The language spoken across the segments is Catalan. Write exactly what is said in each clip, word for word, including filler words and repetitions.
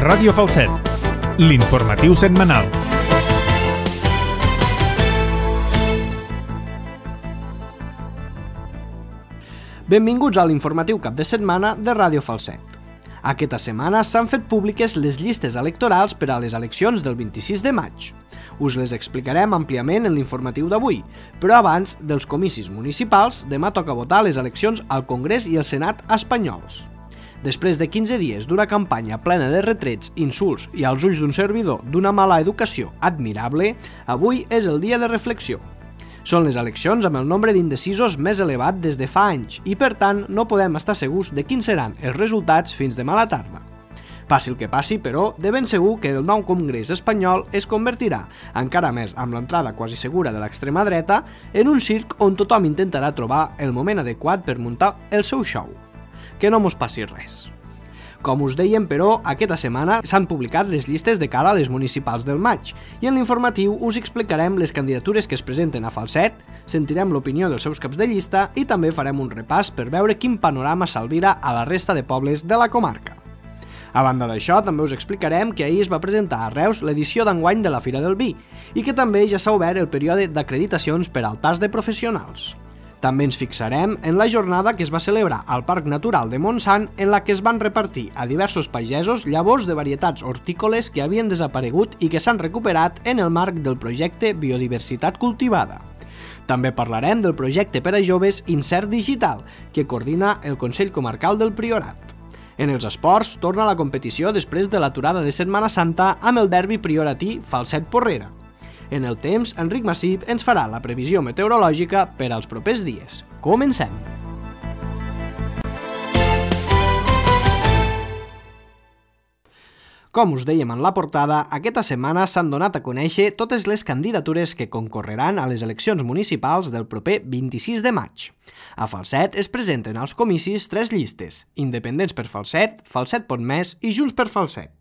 Ràdio Falset, l'informatiu setmanal. Benvinguts a l'informatiu cap de setmana de Ràdio Falset. Aquesta setmana s'han fet públiques les llistes electorals per a les eleccions del vint-i-sis de maig. Us les explicarem àmpliament en l'informatiu d'avui, però abans dels comicis municipals, demà toca votar les eleccions al Congrés i al Senat espanyols. Després de quinze dies d'una campanya plena de retrets, insults i als ulls d'un servidor d'una mala educació admirable, avui és el dia de reflexió. Són les eleccions amb el nombre d'indecisos més elevat des de fa anys i, per tant, no podem estar segurs de quins seran els resultats fins demà a la tarda. Passi el que passi, però, de ben segur que el nou Congrés espanyol es convertirà, encara més amb l'entrada quasi segura de l'extrema dreta, en un circ on tothom intentarà trobar el moment adequat per muntar el seu show. Que no mos passi res. Com us dèiem, però, aquesta setmana s'han publicat les llistes de cara a les municipals del maig i en l'informatiu us explicarem les candidatures que es presenten a Falset, sentirem l'opinió dels seus caps de llista i també farem un repàs per veure quin panorama s'albira a la resta de pobles de la comarca. A banda d'això, també us explicarem que ahir es va presentar a Reus l'edició d'enguany de la Fira del Vi i que també ja s'ha obert el període d'acreditacions per al tas de professionals. També ens fixarem en la jornada que es va celebrar al Parc Natural de Montsant en la que es van repartir a diversos pagesos llavors de varietats hortícoles que havien desaparegut i que s'han recuperat en el marc del projecte Biodiversitat Cultivada. També parlarem del projecte per a joves Insert Digital, que coordina el Consell Comarcal del Priorat. En els esports, torna la competició després de l'aturada de Setmana Santa amb el derbi prioratí Falset-Porrera. En el temps, Enric Massip ens farà la previsió meteorològica per als propers dies. Comencem! Com us dèiem en la portada, aquesta setmana s'han donat a conèixer totes les candidatures que concorreran a les eleccions municipals del proper vint-i-sis de maig. A Falset es presenten als comicis tres llistes: Independents per Falset, Falset Pot Més i Junts per Falset.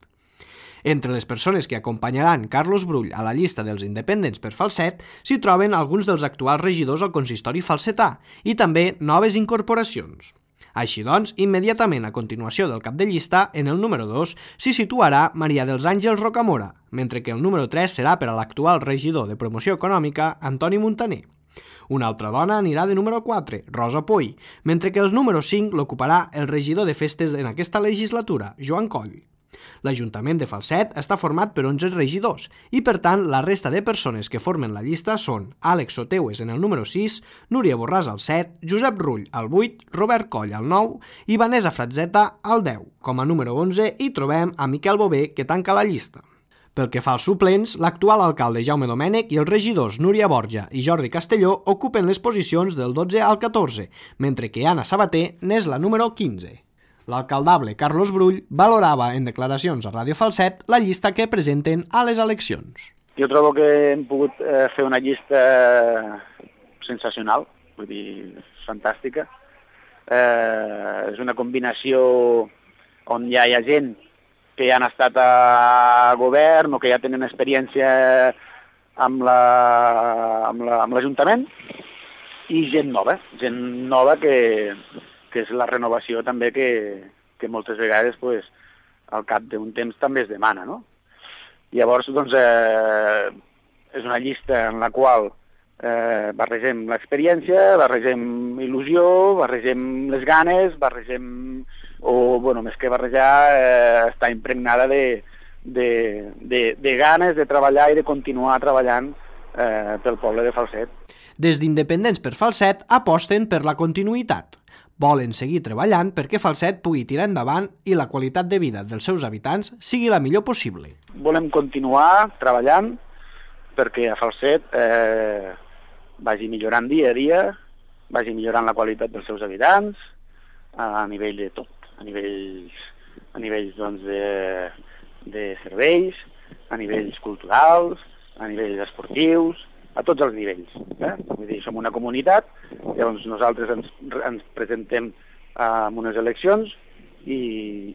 Entre les persones que acompanyaran Carlos Brull a la llista dels independents per Falset s'hi troben alguns dels actuals regidors al consistori falsetà i també noves incorporacions. Així doncs, immediatament a continuació del cap de llista, en el número dos, s'hi situarà Maria dels Àngels Rocamora, mentre que el número tres serà per a l'actual regidor de Promoció Econòmica, Antoni Muntaner. Una altra dona anirà de número quatre, Rosa Poy, mentre que el número cinc l'ocuparà el regidor de festes en aquesta legislatura, Joan Coll. L'Ajuntament de Falset està format per onze regidors i, per tant, la resta de persones que formen la llista són Àlex Soteues en el número sis, Núria Borràs al set, Josep Rull al vuit, Robert Coll al nou i Vanessa Fratzeta al deu. Com a número onze hi trobem a Miquel Bové, que tanca la llista. Pel que fa als suplents, l'actual alcalde Jaume Domènech i els regidors Núria Borja i Jordi Castelló ocupen les posicions del dotze al catorze, mentre que Anna Sabater n'és la número quinze. L'alcaldable Carlos Brull valorava en declaracions a Ràdio Falset la llista que presenten a les eleccions. Jo trobo que hem pogut eh, fer una llista sensacional, vull dir, fantàstica. Eh, és una combinació on ja hi ha gent que ja han estat a govern o que ja tenen experiència amb la, amb la, amb l'Ajuntament i gent nova, gent nova que... que és la renovació també que, que moltes vegades pues, al cap d'un temps també es demana, no? Llavors, doncs, eh, és una llista en la qual eh, barregem l'experiència, barregem il·lusió, barregem les ganes, barregem, o, bueno, més que barrejar, eh, està impregnada de, de, de, de ganes de treballar i de continuar treballant eh, pel poble de Falset. Des d'Independents per Falset aposten per la continuïtat. Volen seguir treballant perquè Falset pugui tirar endavant i la qualitat de vida dels seus habitants sigui la millor possible. Volem continuar treballant perquè a Falset eh, vagi millorant dia a dia, vagi millorant la qualitat dels seus habitants a nivell de tot, a nivells, a nivells doncs, de, de serveis, a nivells culturals, a nivells esportius, a tots els nivells. Eh? Vull dir, som una comunitat, llavors nosaltres ens, ens presentem eh, en unes eleccions i,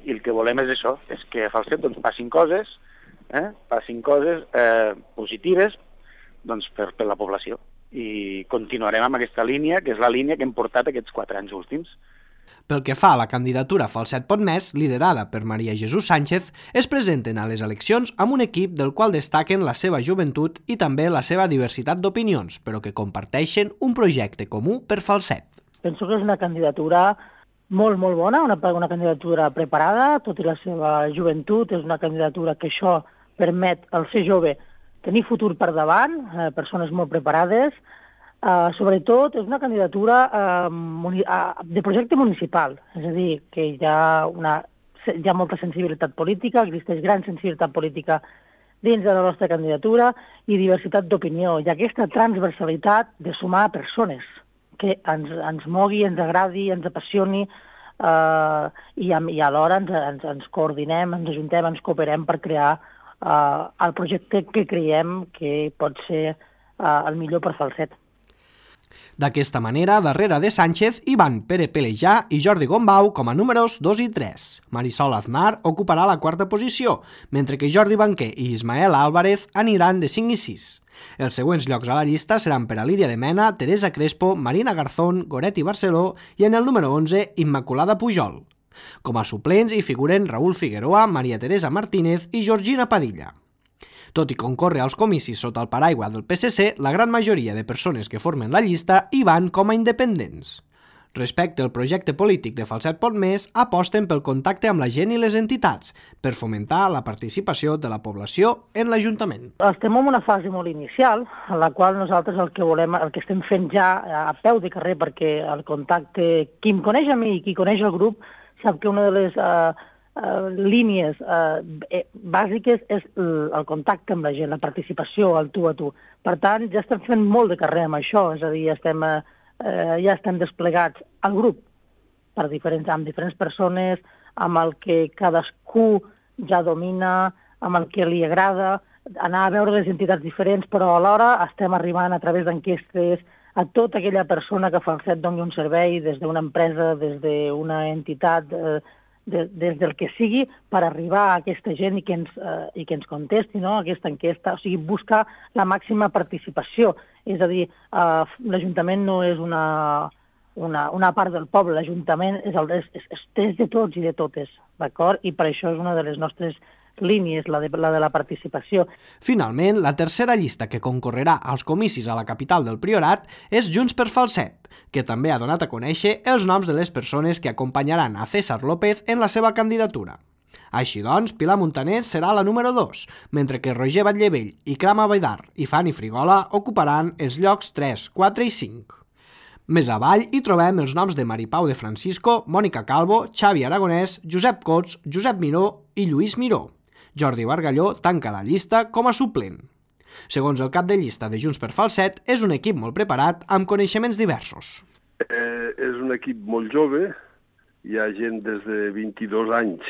i el que volem és això, és que a Falset doncs, passin coses, eh? passin coses eh, positives doncs, per, per la població. I continuarem amb aquesta línia, que és la línia que hem portat aquests quatre anys últims. Pel que fa a la candidatura Falset Pot Més, liderada per Maria Jesús Sánchez, es presenten a les eleccions amb un equip del qual destaquen la seva joventut i també la seva diversitat d'opinions, però que comparteixen un projecte comú per Falset. Penso que és una candidatura molt, molt bona, una, una candidatura preparada, tot i la seva joventut, és una candidatura que això permet al ser jove tenir futur per davant, eh, persones molt preparades. Uh, sobretot és una candidatura uh, muni uh, de projecte municipal, és a dir, que hi ha, una, hi ha molta sensibilitat política, existeix gran sensibilitat política dins de la nostra candidatura i diversitat d'opinió, i aquesta transversalitat de sumar persones que ens, ens mogui, ens agradi, ens apassioni uh, i, i alhora ens, ens, ens coordinem, ens ajuntem, ens cooperem per crear uh, el projecte que creiem que pot ser uh, el millor per Falset. D'aquesta manera, darrere de Sánchez hi van Pere Pelejà i Jordi Gombau com a números dos i tres. Marisol Aznar ocuparà la quarta posició, mentre que Jordi Banquer i Ismael Álvarez aniran de cinc i sis. Els següents llocs a la llista seran per a Lídia de Mena, Teresa Crespo, Marina Garzón, Goretti Barceló i en el número onze, Immaculada Pujol. Com a suplents hi figuren Raúl Figueroa, Maria Teresa Martínez i Georgina Padilla. Tot i concórrer als comicis sota el paraigua del P S C, la gran majoria de persones que formen la llista hi van com a independents. Respecte al projecte polític de Falset Pot Més, aposten pel contacte amb la gent i les entitats, per fomentar la participació de la població en l'Ajuntament. Estem en una fase molt inicial, en la qual nosaltres el que volem, el que estem fent ja a peu de carrer, perquè el contacte, qui em coneix a mi i qui coneix el grup, sap que una de les uh, uh, línies uh, bàsiques és el contacte amb la gent, la participació, el tu a tu. Per tant, ja estem fent molt de carrer amb això, és a dir, estem... Uh, Eh, ja estem desplegats al grup per diferents, amb diferents persones, amb el que cadascú ja domina, amb el que li agrada, anar a veure les entitats diferents, però alhora estem arribant a través d'enquestes a tota aquella persona que Falset doni un servei, des d'una empresa, des d'una entitat, eh, de, des del que sigui, per arribar a aquesta gent i que ens, eh, i que ens contesti, no?, aquesta enquesta, o sigui, buscar la màxima participació. És a dir, eh, l'Ajuntament no és una, una, una part del poble, l'Ajuntament és, el, és, és, és de tots i de totes, d'acord? I per això és una de les nostres línies, la de, la de la participació. Finalment, la tercera llista que concorrerà als comicis a la capital del Priorat és Junts per Falset, que també ha donat a conèixer els noms de les persones que acompanyaran a César López en la seva candidatura. Així doncs, Pilar Montaner serà la número dos, mentre que Roger Batllevell, Ikram Abidar i Fanny Frigola ocuparan els llocs tres, quatre i cinc. Més avall hi trobem els noms de Maripau de Francisco, Mònica Calvo, Xavi Aragonès, Josep Cots, Josep Miró i Lluís Miró. Jordi Bargalló tanca la llista com a suplent. Segons el cap de llista de Junts per Falset, és un equip molt preparat amb coneixements diversos. Eh, és un equip molt jove, hi ha gent des de vint-i-dos anys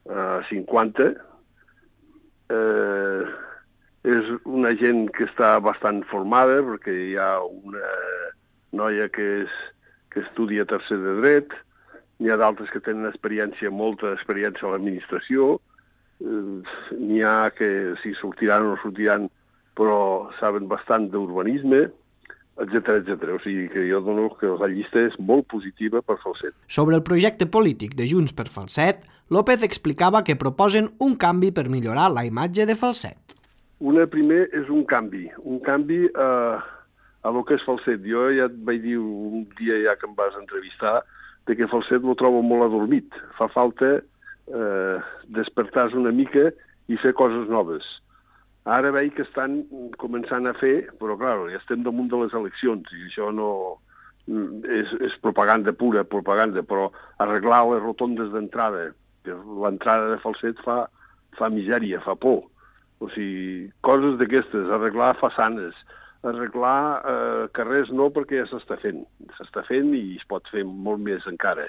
a cinquanta. Eh, és una gent que està bastant formada, perquè hi ha una noia que, és, que estudia tercer de dret, n'hi ha d'altres que tenen experiència, molta experiència a l'administració, n'hi ha que si sortiran o no sortiran, però saben bastant d'urbanisme, etcètera, etcètera. O sigui que jo dono que la llista és molt positiva per Falset. Sobre el projecte polític de Junts per Falset, López explicava que proposen un canvi per millorar la imatge de Falset. Una primer és un canvi, un canvi a, a lo que és Falset. Jo ja et vaig dir un dia ja que em vas entrevistar de que Falset lo trobo molt adormit. Fa falta eh, despertar-se una mica i fer coses noves. Ara veig que estan començant a fer, però clar, ja estem damunt de les eleccions i això no és, és propaganda pura, propaganda, però arreglar les rotondes d'entrada, que l'entrada de Falset fa, fa misèria, fa por. O sigui, coses d'aquestes, arreglar façanes, arreglar eh, carrers no, perquè ja s'està fent. S'està fent i es pot fer molt més encara.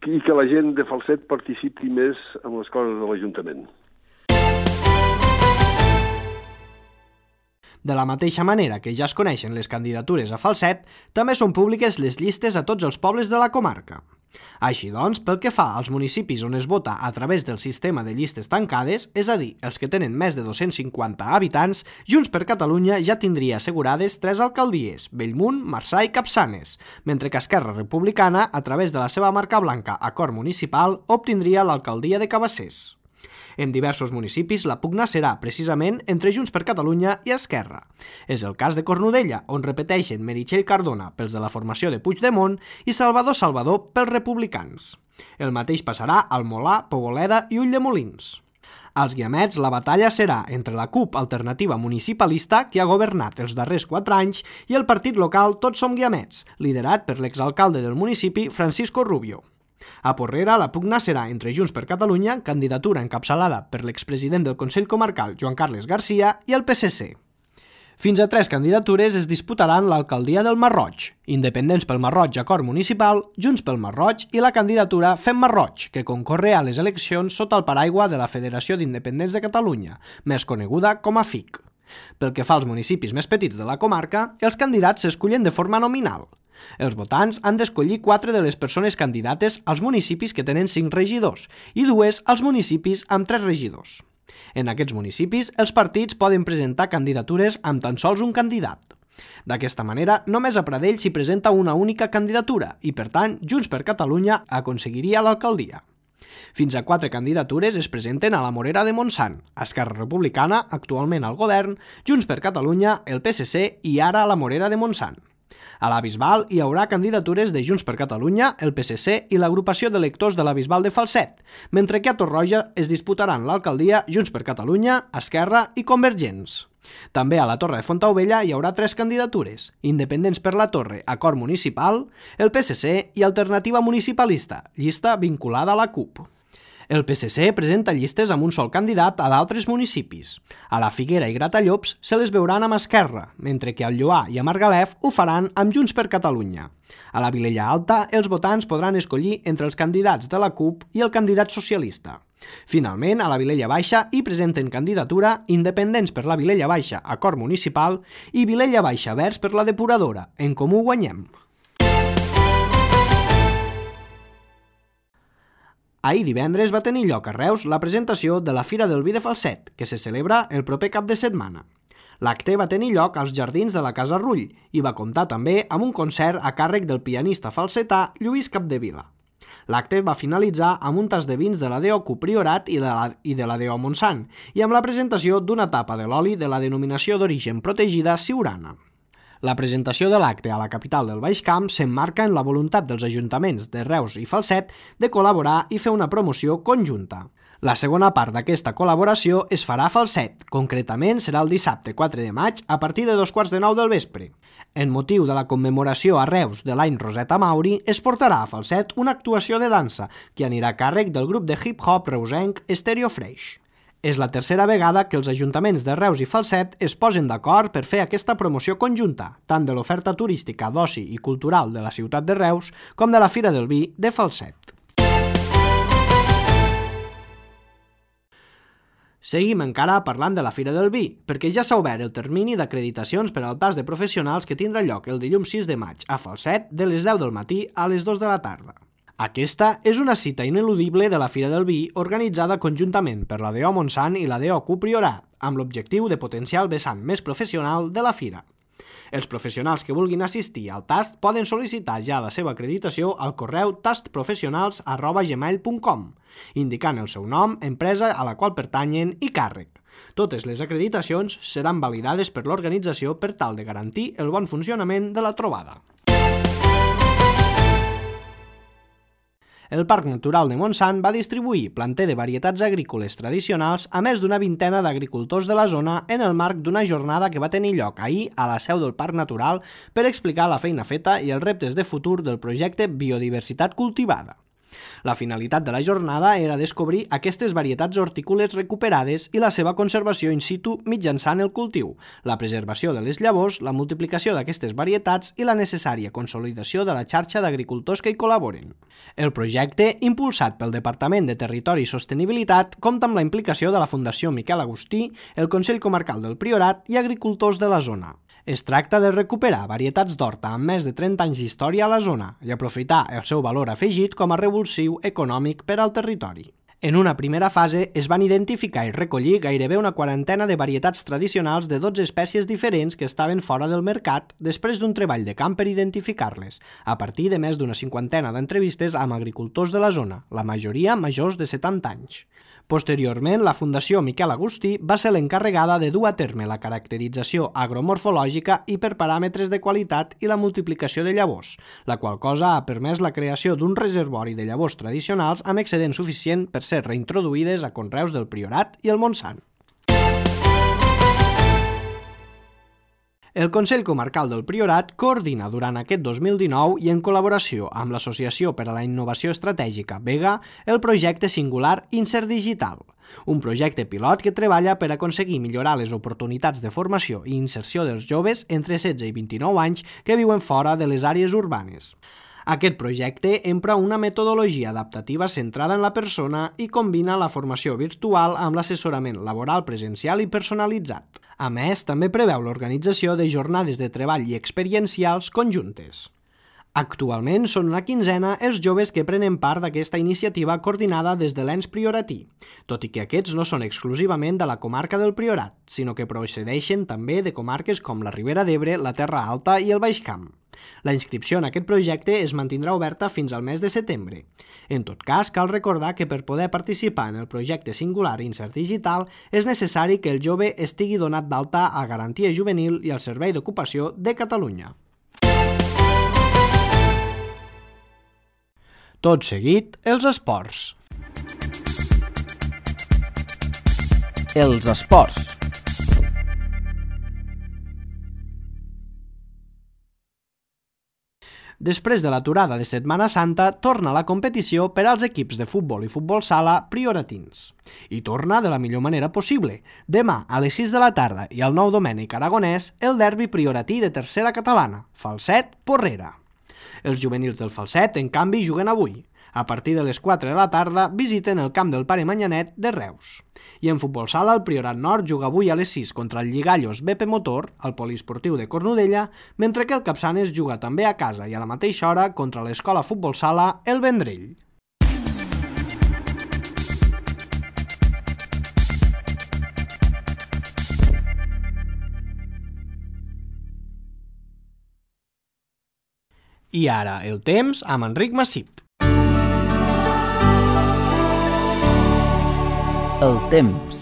I que la gent de Falset participi més en les coses de l'Ajuntament. De la mateixa manera que ja es coneixen les candidatures a Falset, també són públiques les llistes a tots els pobles de la comarca. Així doncs, pel que fa als municipis on es vota a través del sistema de llistes tancades, és a dir, els que tenen més de dos-cents cinquanta habitants, Junts per Catalunya ja tindria assegurades tres alcaldies, Bellmunt, Marçà i Capçanes, mentre que Esquerra Republicana, a través de la seva marca blanca Acord Municipal, obtindria l'alcaldia de Cabassers. En diversos municipis la pugna serà precisament entre Junts per Catalunya i Esquerra. És el cas de Cornudella, on repeteixen Meritxell Cardona pels de la formació de Puigdemont i Salvador Salvador pels republicans. El mateix passarà al Molà, Poboleda i Ulldemolins. Als Guiamets la batalla serà entre la CUP Alternativa Municipalista, que ha governat els darrers quatre anys, i el partit local Tots Som Guiamets, liderat per l'exalcalde del municipi Francisco Rubio. A Porrera, la pugna serà entre Junts per Catalunya, candidatura encapçalada per l'expresident del Consell Comarcal, Joan Carles Garcia, i el P S C. Fins a tres candidatures es disputaran l'alcaldia del Masroig, Independents pel Masroig Acord Municipal, Junts pel Masroig i la candidatura Fem Masroig, que concorre a les eleccions sota el paraigua de la Federació d'Independents de Catalunya, més coneguda com a F I C. Pel que fa als municipis més petits de la comarca, els candidats s'escullen de forma nominal. Els votants han d'escollir quatre de les persones candidates als municipis que tenen cinc regidors i dues als municipis amb tres regidors. En aquests municipis, els partits poden presentar candidatures amb tan sols un candidat. D'aquesta manera, només a Pradell s'hi presenta una única candidatura i, per tant, Junts per Catalunya aconseguiria l'alcaldia. Fins a quatre candidatures es presenten a la Morera de Montsant, Esquerra Republicana, actualment al govern, Junts per Catalunya, el P S C i ara a la Morera de Montsant. A la Bisbal hi haurà candidatures de Junts per Catalunya, el P S C i l'agrupació d'electors de la Bisbal de Falset, mentre que a Torroja es disputaran l'alcaldia Junts per Catalunya, Esquerra i Convergents. També a la Torre de Fontaubella hi haurà tres candidatures, Independents per la Torre, Acord Municipal, el P S C i Alternativa Municipalista, llista vinculada a la CUP. El P S C presenta llistes amb un sol candidat a d'altres municipis. A la Figuera i Gratallops se les veuran amb Esquerra, mentre que al Lloar i a Margalef ho faran amb Junts per Catalunya. A la Vilella Alta, els votants podran escollir entre els candidats de la CUP i el candidat socialista. Finalment, a la Vilella Baixa hi presenten candidatura Independents per la Vilella Baixa, Acord Municipal, i Vilella Baixa Verds per la Depuradora, En Comú Guanyem. Ahir divendres va tenir lloc a Reus la presentació de la Fira del Vi de Falset, que se celebra el proper cap de setmana. L'acte va tenir lloc als jardins de la Casa Rull i va comptar també amb un concert a càrrec del pianista falsetà Lluís Capdevila. L'acte va finalitzar amb un tas de vins de la D O Q Priorat i de la, i de la D O Montsant i amb la presentació d'una tapa de l'oli de la denominació d'origen protegida Siurana. La presentació de l'acte a la capital del Baix Camp s'emmarca en la voluntat dels ajuntaments de Reus i Falset de col·laborar i fer una promoció conjunta. La segona part d'aquesta col·laboració es farà a Falset, concretament serà el dissabte quatre de maig a partir de dos quarts de nou del vespre. En motiu de la commemoració a Reus de l'any Roseta Mauri, es portarà a Falset una actuació de dansa que anirà a càrrec del grup de hip-hop reusenc Stereo Fresh. És la tercera vegada que els ajuntaments de Reus i Falset es posen d'acord per fer aquesta promoció conjunta, tant de l'oferta turística d'oci i cultural de la ciutat de Reus com de la Fira del Vi de Falset. Seguim encara parlant de la Fira del Vi, perquè ja s'ha obert el termini d'acreditacions per al pas de professionals que tindrà lloc el dilluns sis de maig a Falset de les deu del matí a les dues de la tarda. Aquesta és una cita ineludible de la Fira del Vi organitzada conjuntament per la D O Montsant i la D O Q Priorat, amb l'objectiu de potenciar el vessant més professional de la fira. Els professionals que vulguin assistir al tast poden sol·licitar ja la seva acreditació al correu tastprofessionals arroba gmail punt com, indicant el seu nom, empresa a la qual pertanyen i càrrec. Totes les acreditacions seran validades per l'organització per tal de garantir el bon funcionament de la trobada. El Parc Natural de Montsant va distribuir planter de varietats agrícoles tradicionals a més d'una vintena d'agricultors de la zona en el marc d'una jornada que va tenir lloc ahir a la seu del Parc Natural per explicar la feina feta i els reptes de futur del projecte Biodiversitat Cultivada. La finalitat de la jornada era descobrir aquestes varietats hortícoles recuperades i la seva conservació in situ mitjançant el cultiu, la preservació de les llavors, la multiplicació d'aquestes varietats i la necessària consolidació de la xarxa d'agricultors que hi col·laboren. El projecte, impulsat pel Departament de Territori i Sostenibilitat, compta amb la implicació de la Fundació Miquel Agustí, el Consell Comarcal del Priorat i agricultors de la zona. Es tracta de recuperar varietats d'horta amb més de trenta anys d'història a la zona i aprofitar el seu valor afegit com a revulsiu econòmic per al territori. En una primera fase es van identificar i recollir gairebé una quarantena de varietats tradicionals de dotze espècies diferents que estaven fora del mercat després d'un treball de camp per identificar-les, a partir de més d'una cinquantena d'entrevistes amb agricultors de la zona, la majoria majors de setanta anys. Posteriorment, la Fundació Miquel Agustí va ser l'encarregada de dur a terme la caracterització agromorfològica i per paràmetres de qualitat i la multiplicació de llavors, la qual cosa ha permès la creació d'un reservori de llavors tradicionals amb excedent suficient per ser reintroduïdes a conreus del Priorat i el Montsant. El Consell Comarcal del Priorat coordina durant aquest dos mil dinou i en col·laboració amb l'Associació per a la Innovació Estratègica Vega el projecte singular Insert Digital, un projecte pilot que treballa per aconseguir millorar les oportunitats de formació i inserció dels joves entre setze i vint-i-nou anys que viuen fora de les àrees urbanes. Aquest projecte empra una metodologia adaptativa centrada en la persona i combina la formació virtual amb l'assessorament laboral presencial i personalitzat. A més, també preveu l'organització de jornades de treball i experiencials conjuntes. Actualment són una quinzena els joves que prenen part d'aquesta iniciativa coordinada des de l'ens prioratí, tot i que aquests no són exclusivament de la comarca del Priorat, sinó que procedeixen també de comarques com la Ribera d'Ebre, la Terra Alta i el Baix Camp. La inscripció en aquest projecte es mantindrà oberta fins al mes de setembre. En tot cas, cal recordar que per poder participar en el projecte singular Insert Digital és necessari que el jove estigui donat d'alta a Garantia Juvenil i al Servei d'Ocupació de Catalunya. Tot seguit, els esports. Els esports. Després de l'aturada de Setmana Santa, torna la competició per als equips de futbol i futbol sala prioratins. I torna de la millor manera possible. Demà, a les sis de la tarda i al Nou Domènec Aragonès, el derbi prioratí de tercera catalana, Falset-Porrera. Els juvenils del Falset, en canvi, juguen avui. A partir de les quatre de la tarda visiten el camp del Pare Manyanet de Reus. I en futbol sala, el Priorat Nord juga avui a les sis contra el Lligallos B P Motor, al poliesportiu de Cornudella, mentre que el Capçanes juga també a casa i a la mateixa hora contra l'escola futbol sala El Vendrell. I ara el temps amb Enric Massip. El temps.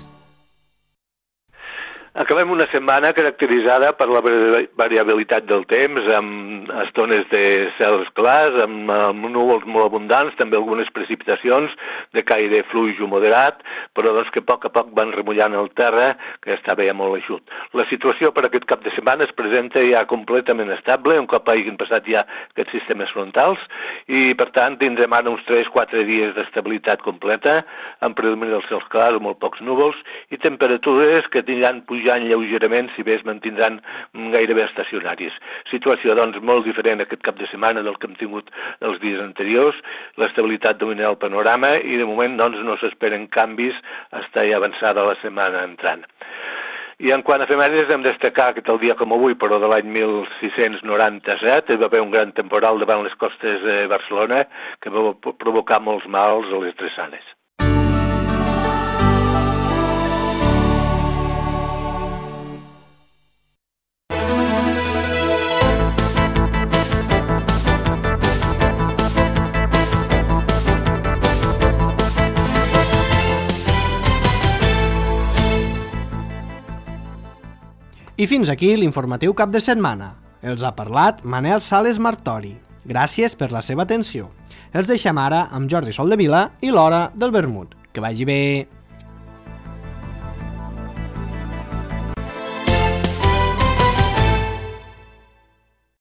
Acabem una setmana caracteritzada per la variabilitat del temps, amb estones de cels clars, amb, amb núvols molt abundants, també algunes precipitacions de caire fluix o moderat, però doncs que a poc a poc van remullant el terra, que estava ja molt eixut. La situació per aquest cap de setmana es presenta ja completament estable, un cop hagin passat ja aquests sistemes frontals, i per tant tindrem ara uns tres quatre dies d'estabilitat completa, amb predomini dels cels clars o molt pocs núvols, i temperatures que tindran pujant lleugerament, si bé es mantindran gairebé estacionaris. Situació, doncs, molt diferent aquest cap de setmana del que hem tingut els dies anteriors. L'estabilitat dominarà el panorama i, de moment, doncs, no s'esperen canvis fins ja avançada la setmana entrant. I en quant a efemèrides, hem de destacar que el dia com avui, però de l'any mil sis-cents noranta-set, hi va haver un gran temporal davant les costes de Barcelona que va provocar molts mals a les drassanes. I fins aquí l'informatiu cap de setmana. Els ha parlat Manel Sales Martori. Gràcies per la seva atenció. Els deixem ara amb Jordi Soldevila i l'Hora del Vermut. Que vagi bé!